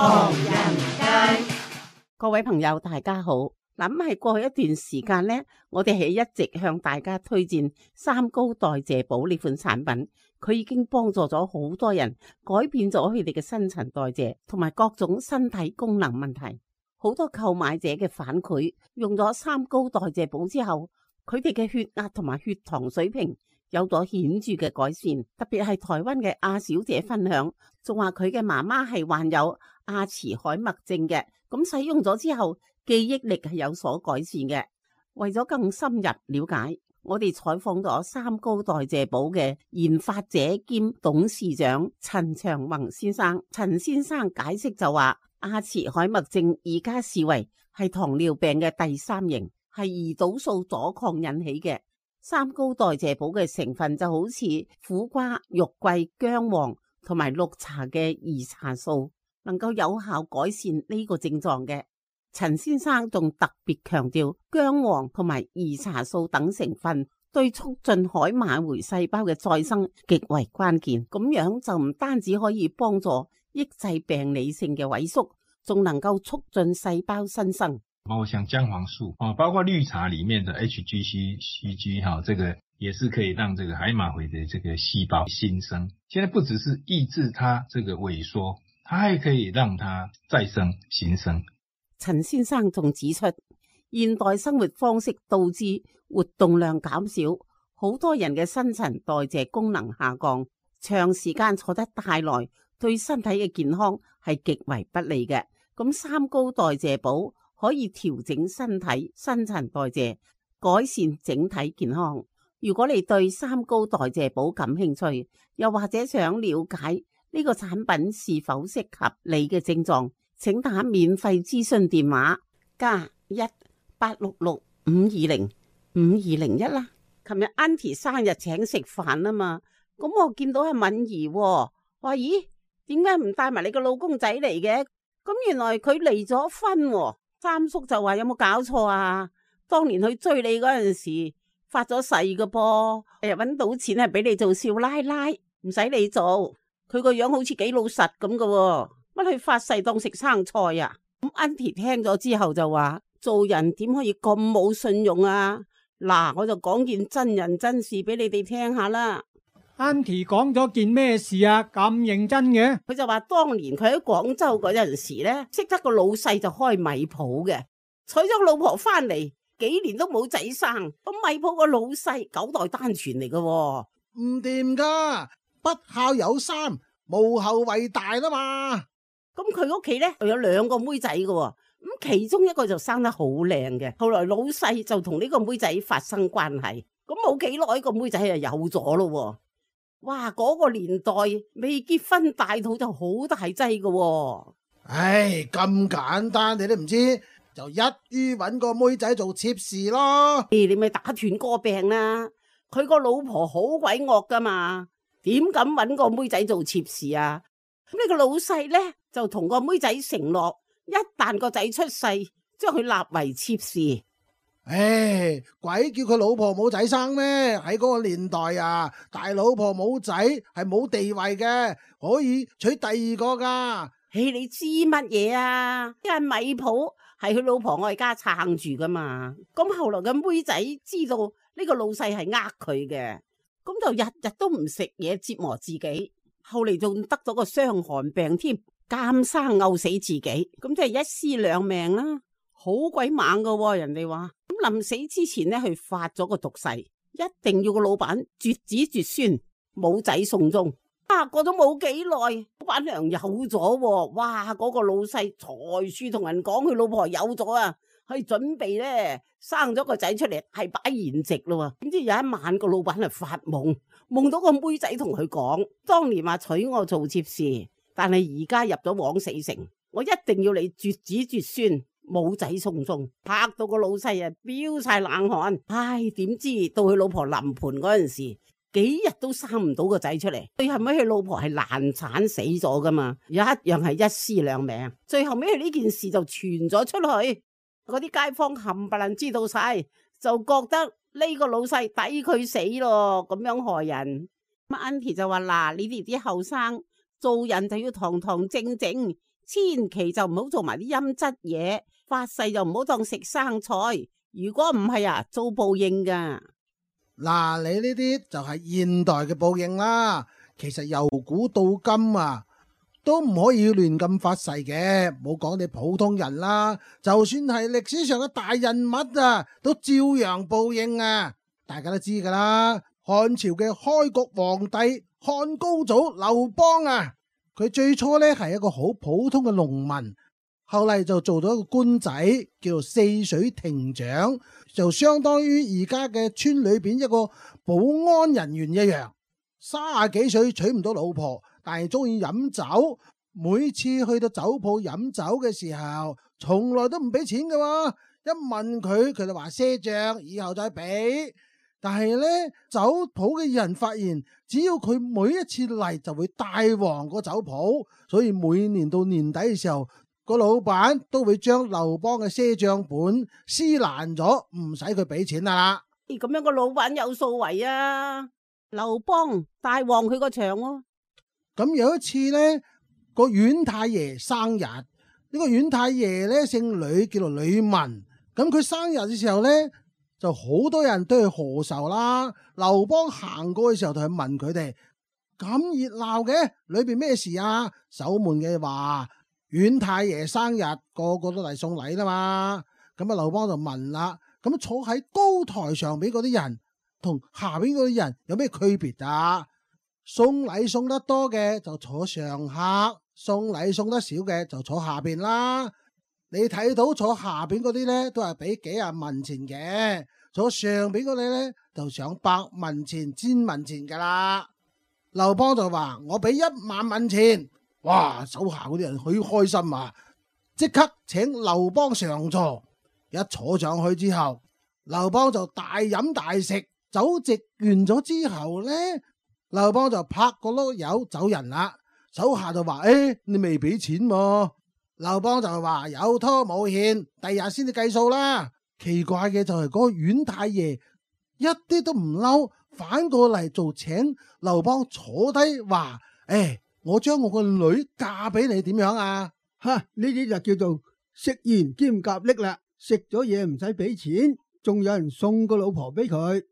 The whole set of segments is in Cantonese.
唐人街，各位朋友大家好。咁係過去一段時間呢，我哋係一直向大家推薦三高代謝寶呢款產品，佢已經幫助咗好多人改變咗佢哋嘅新陳代謝同埋各種身體功能問題。好多購買者嘅反饋，用咗三高代謝寶之後，佢哋嘅血壓同埋血糖水平有咗顯著嘅改善。特別係台灣嘅阿小姐分享，仲話佢嘅媽媽係患有阿茲海默症嘅，咁使用咗之後記憶力係有所改善嘅。為咗更深入了解，我哋採訪咗三高代謝寶嘅研發者兼董事長陳長宏先生。陳先生解釋就話，阿茲海默症而家視為係糖尿病嘅第三型，係胰島素阻抗引起嘅。三高代謝寶嘅成分就好似苦瓜、肉桂、薑黃同埋綠茶嘅兒茶素，能夠有效改善呢個症狀嘅。陳先生仲特別強調，薑黃同埋兒茶素等成分對促進海馬回細胞嘅再生極為關鍵，咁樣就唔單止可以幫助抑制病理性嘅萎縮，仲能夠促進細胞新生。包括像薑黃素包括綠茶裡面的 HGC、CG 這個也是可以讓這個海馬回的這個細胞新生。現在不只是抑制它這個萎縮，它還可以讓它再生新生。陳先生仲指出，現代生活方式導致活動量減少，好多人嘅新陳代謝功能下降，長時間坐得太耐，對身體嘅健康係極為不利嘅。咁三高代謝寶可以調整身體新陳代謝，改善整體健康。如果你對三高代謝寶感興趣，又或者想了解呢個產品是否適合你嘅症狀，請打免費諮詢電話+1-866-520-5201啦。琴日 Auntie 生日請食飯啊嘛，咁我見到係敏儀，話咦，點解唔帶埋你個老公仔嚟嘅？咁原來佢離咗婚。三叔就話有冇搞錯啊？當年去追你嗰陣時發咗誓㗎噃，搵到錢係俾你做少奶奶，唔使你做。佢個樣好似幾老實咁㗎，乜去發誓當食生菜啊？咁 Auntie 聽咗之後就話，做人點可以咁冇信用啊？嗱，我就講件真人真事俾你哋聽下啦。Auntie 講咗件咩事啊？咁認真嘅？佢就話當年佢喺廣州嗰陣時咧，識得個老細就開米鋪嘅，娶咗個老婆翻嚟，幾年都冇仔生。咁米鋪個老細9代單傳嚟嘅，唔掂噶，不孝有三，無後為大啦嘛。咁佢屋企咧有2個妹仔嘅，咁其中一個就生得好靚嘅。後來老細就同呢個妹仔發生關係，咁冇幾耐個妹仔就有咗咯。哇！嗰個年代未結婚大肚就好大劑㗎。唉，咁簡單你都唔知，就一於搵個妹仔做妾侍咯。你咪打斷個病啦！佢個老婆好鬼惡噶嘛，點敢搵個妹仔做妾侍啊？咁呢個老細呢，就同個妹仔承諾，一旦個仔出世，將佢立為妾侍。唉，鬼叫佢老婆冇仔生咩？喺嗰個年代啊，大老婆冇仔係冇地位嘅，可以娶第2個噶。你知乜嘢啊？因為米鋪係佢老婆外家撐住噶嘛。咁後來個妹仔知道呢個老細係呃佢嘅，咁就日日都唔食嘢折磨自己。後嚟仲得咗個傷寒病添，監生毆死自己，咁即係一屍兩命啦。好鬼猛噶，人哋話咁臨死之前呢，佢發咗個毒誓，一定要個老闆絕子絕孫，冇仔送終。過咗冇幾耐，老闆娘有咗，哇！嗰個老細財處同人講佢老婆有咗啊，佢準備咧生咗個仔出嚟，係擺筵席咯。點知有一晚個老闆啊發夢，夢到個妹仔同佢講，當年話娶我做妾侍，但係而家入咗枉死城，我一定要你絕子絕孫，冇仔送終。拍到個老細啊飆晒冷汗。唉，點知到佢老婆臨盆嗰陣時，幾日都生唔到個仔出嚟。最後尾佢老婆係難產死咗噶嘛，一樣係一屍兩命。最後尾佢呢件事就傳咗出去，嗰啲街坊冚唪唥知道晒，就覺得呢個老細抵佢死咯，咁樣害人。Auntie 就話嗱，你哋啲後生做人就要堂堂正正，千祈就唔好做埋啲陰質嘢，發誓就唔好當食生菜。如果唔係啊，遭報應噶。嗱，你呢啲就係現代嘅報應啦。其實由古到今啊，都唔可以亂咁發誓嘅。冇講你普通人啦，就算係歷史上嘅大人物啊，都照樣報應啊。大家都知噶啦，漢朝嘅開國皇帝漢高祖劉邦啊，佢最初呢係一個好普通嘅農民，後嚟就做咗一個官仔，叫做泗水亭長，就相當於而家嘅村裏邊一個保安人員一樣。30幾歲娶唔到老婆，但係中意飲酒，每次去到酒鋪飲酒嘅時候，從來都唔俾錢㗎。一問佢，佢就話賒賬，以後再俾。但係呢，酒鋪嘅人發現，只要佢每一次嚟就會帶旺個酒鋪，所以每年到年底嘅時候，個老闆都會將劉邦嘅賒賬本撕爛咗，唔使佢俾錢啦。咁樣個老闆有數為啊！劉邦帶旺佢個場喎。咁有一次呢，個縣太爺生日，呢個縣太爺呢姓呂，叫做呂文。咁佢生日嘅時候呢，就好多人都去賀壽啦。劉邦行過嘅時候就去問佢哋：咁熱鬧嘅，裏邊咩事啊？守門嘅話：縣太爺生日，個個都嚟送禮啦嘛。咁啊，劉邦就問啦：咁坐喺高台上邊嗰啲人同下邊嗰啲人有咩區別啊？送禮送得多嘅就坐上客，送禮送得少嘅就坐下邊啦。你睇到坐下邊嗰啲呢，都係俾幾廿文錢嘅，坐上邊嗰啲呢，就上百文錢、千文錢噶啦。劉邦就話：我俾1萬文錢。哇！手下嗰啲人好開心啊，即刻請劉邦上座。一坐上去之後，劉邦就大飲大食。酒席完咗之後呢，劉邦就拍個碌柚走人啦。手下就話：你未俾錢喎。劉邦就話：有拖冇欠，第日先至計數啦。奇怪嘅就係嗰個縣太爺一啲都唔嬲，反過嚟做請劉邦坐低話：我將我個女嫁俾你，點樣啊？哈！呢啲就叫做食鹽兼夾力啦。食咗嘢唔使俾錢，仲有人送個老婆俾佢。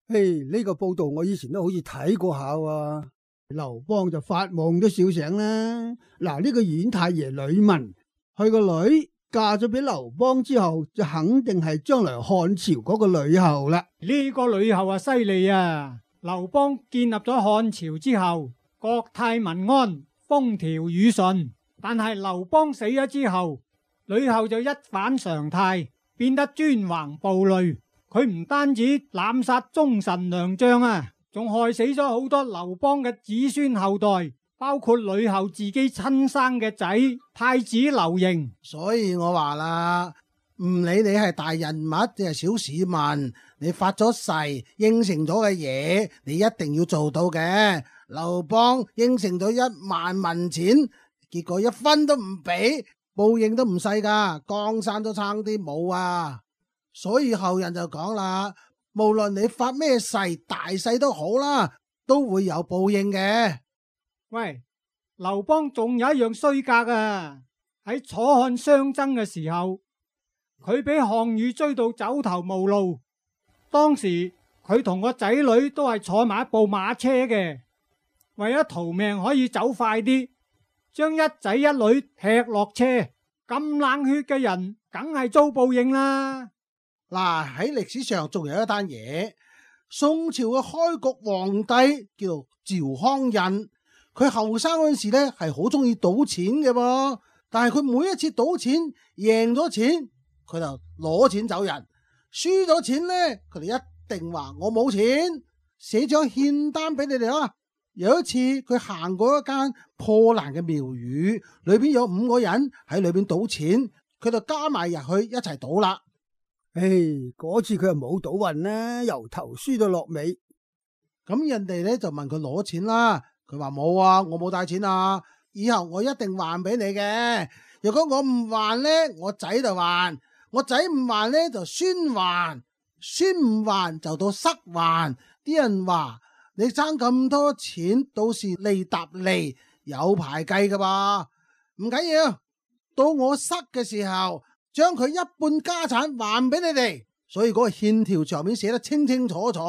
呢個報道我以前都好似睇過下喎。劉邦就發夢都笑醒啦。嗱，呢個縣太爺呂文，佢個女嫁咗俾劉邦之後，就肯定係將來漢朝嗰個呂后啦。呢個呂后啊，犀利啊！劉邦建立咗漢朝之後，國泰民安，風調雨順。但係劉邦死咗之後，呂后就一反常態，變得專橫暴戾。佢唔單止濫殺忠臣良將啊，仲害死咗好多劉邦嘅子孫後代，包括呂后自己親生嘅仔太子劉盈。所以我話啦，唔理你係大人物定係小市民，你發咗誓應承咗嘅嘢，你一定要做到嘅。劉邦應承咗1萬文錢，結果1分都唔俾，報應都唔細噶，江山都差啲冇啊！所以後人就講啦，無論你發咩誓，大細都好啦，都會有報應嘅。喂，劉邦仲有一樣衰格啊！喺楚漢相爭嘅時候，佢俾項羽追到走投無路。當時佢同個仔女都係坐埋一部馬車嘅，為咗逃命可以走快啲，將一仔一女踢落車。咁冷血嘅人，梗係遭報應啦。嗱，喺歷史上仲有一單嘢，宋朝嘅開國皇帝叫做趙匡胤，佢後生嗰陣時咧係好中意賭錢嘅噃，但係佢每一次賭錢贏咗錢，佢就攞錢走人；輸咗錢咧，佢哋一定話我冇錢，寫張欠單俾你哋啦。有一次佢行過一間破爛嘅廟宇，裏邊有5個人喺裏邊賭錢，佢就加埋入去一齊賭啦。嗰次佢又冇賭運啦，由頭輸到落尾。咁人哋咧就問佢攞錢啦，佢話冇啊，我冇帶錢啊，以後我一定還俾你嘅。如果我唔還咧，我仔就還；我仔唔還咧，就孫還；孫唔還就到塞還。啲人話你爭咁多錢，到時利搭利，有排計噶噃。唔緊要，到我失嘅時候，將佢一半家產還俾你哋。所以嗰個欠條上面寫得清清楚楚，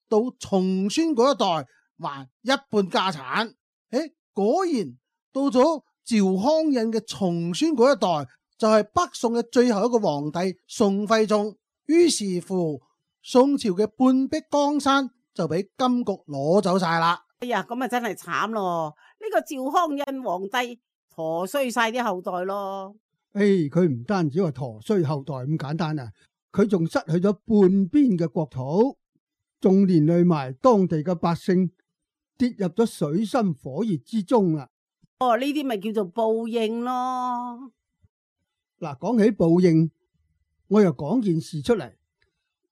到重孫嗰一代還一半家產。果然到咗趙匡胤嘅重孫嗰一代，就係北宋嘅最後一個皇帝宋徽宗。於是乎，宋朝嘅半壁江山就俾金局攞走晒啦。哎呀，咁啊真係慘咯！呢個趙匡胤皇帝陀衰晒啲後代咯。佢唔單止話陀衰後代咁簡單啊，佢仲失去咗半邊嘅國土，仲連累埋當地嘅百姓跌入咗水深火熱之中啦。呢啲咪叫做報應咯。嗱，講起報應，我又講件事出嚟。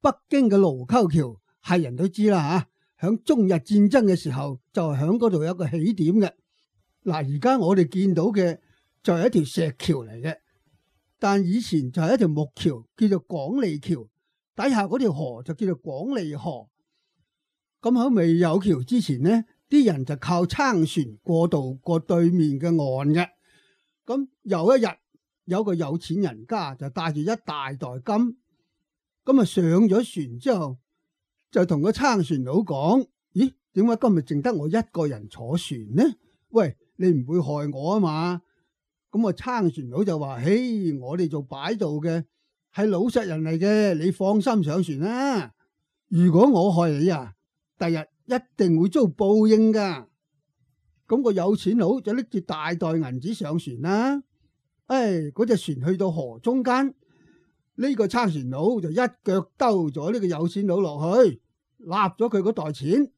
北京嘅盧溝橋係人都知啦吓，響中日戰爭嘅時候就係響嗰度有一個起點嘅。嗱，而家我哋見到嘅就係一條石橋嚟嘅，但以前就係一條木橋，叫做廣利橋，底下嗰條河就叫做廣利河。咁喺未有橋之前呢，啲人就靠撐船過渡過對面嘅岸嘅。咁有一日，有個有錢人家就帶住一大袋金，咁啊上咗船之後，就同個撐船佬講：咦，點解今日淨得我一個人坐船呢？喂，你唔會害我啊嘛？咁啊撐船佬就話：嘿，我哋做擺渡嘅係老實人嚟嘅，你放心上船啦。如果我害你啊，第日一定會遭報應噶。咁個有錢佬就拎住大袋銀紙上船啦。嗰隻船去到河中間，呢個撐船佬就一腳兜咗呢個有錢佬落去，立咗佢嗰袋錢。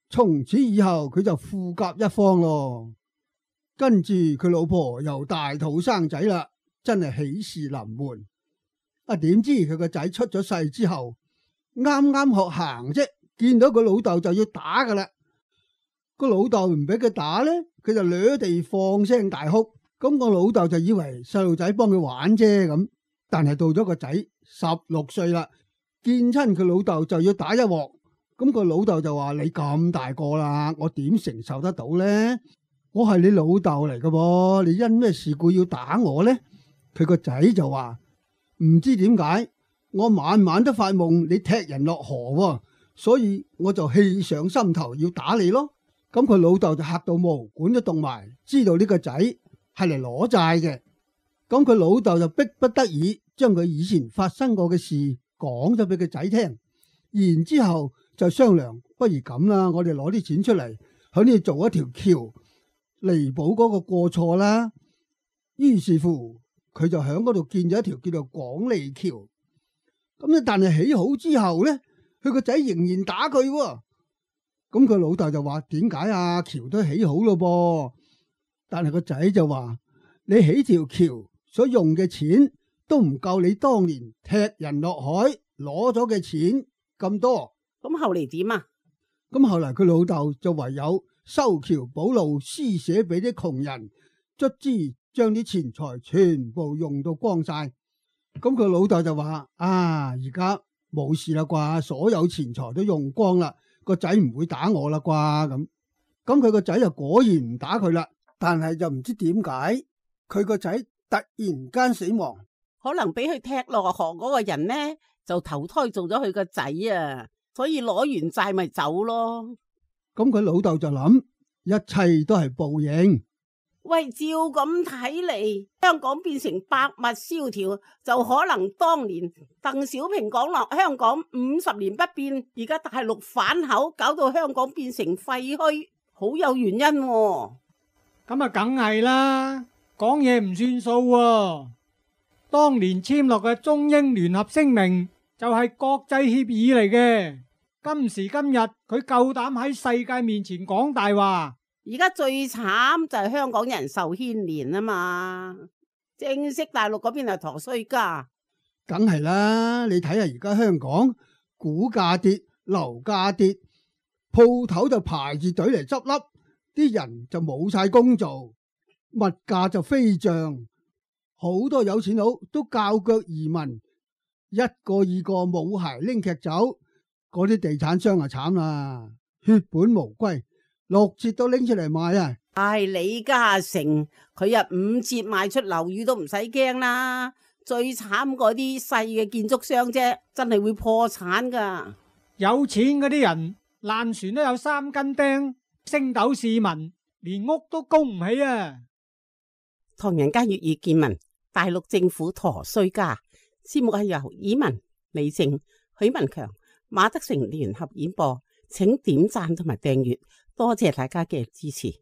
從此以後佢就富甲一方咯。跟住佢老婆又大肚生仔啦，真係喜事臨門。點知佢個仔出咗世之後，啱啱學行啫，見到個老豆就要打噶啦。個老豆唔俾佢打咧，佢就掠地放聲大哭。咁個老豆就以為細路仔幫佢玩啫咁，但係到咗個仔16歲啦，見親佢老豆就要打一鑊。咁個老豆就話：你咁大個啦，我點承受得到呢？我係你老豆嚟噶噃，你因咩事故要打我呢？佢個仔就話：唔知點解，我晚晚都發夢你踢人落河，所以我就氣上心頭要打你咯。咁佢老豆就嚇到毛管都凍埋，知道呢個仔係嚟攞債嘅。咁佢老豆就逼不得已將佢以前發生過嘅事講咗俾個仔聽，然之後就商量，不如咁啦，我哋攞啲錢出嚟喺呢度做一條橋彌補嗰個過錯啦。於是乎佢就喺嗰度建咗一條叫做廣利橋。咁但係起好之後咧，佢個仔仍然打佢。咁佢老豆就話：點解啊？橋都起好咯噃。但係個仔就話：你起條橋所用嘅錢都唔夠你當年踢人落海攞咗嘅錢咁多。咁後嚟點啊？咁後來佢老豆就唯有修橋補路，施捨俾啲窮人，卒之將啲錢財全部用到光晒。咁佢老豆就話：而家冇事啦啩，所有錢財都用光啦，個仔唔會打我啦啩。咁佢個仔就果然唔打佢啦。但係就唔知點解佢個仔突然間死亡，可能俾佢踢落河嗰個人呢，就投胎做咗佢個仔啊，所以攞完債咪走咯。咁佢老豆就諗，一切都係報應。喂，照咁睇嚟，香港變成百物蕭條，就可能當年鄧小平講落香港50年不變，而家大陸反口，搞到香港變成廢墟，好有原因喎。咁啊，梗係啦，講嘢唔算數喎。當年簽落嘅中英聯合聲明就係國際協議嚟嘅。今時今日佢夠膽喺世界面前講大話。而家最慘就係香港人受牽連啊嘛，正式大陸嗰邊係陀衰家。梗係啦，你睇下而家香港股價跌，樓價跌，鋪頭就排住隊嚟執笠。啲人就冇晒工做，物價就飛漲，好多有錢佬都較腳移民，一個二個冇鞋拎劇走，嗰啲地產商啊慘啦，血本無歸， 6折都拎出嚟賣啊！李嘉誠佢5折賣出樓宇都唔使驚啦，最慘嗰啲細嘅建築商啫，真係會破產噶。有錢嗰啲人爛船都有3斤釘，星斗市民連屋都供唔起啊！唐人街粵語見聞，大陸政府陀衰家。節目係由以文、李靜、許文強、馬德成聯合演播，請點讚同埋訂閱，多謝大家嘅支持。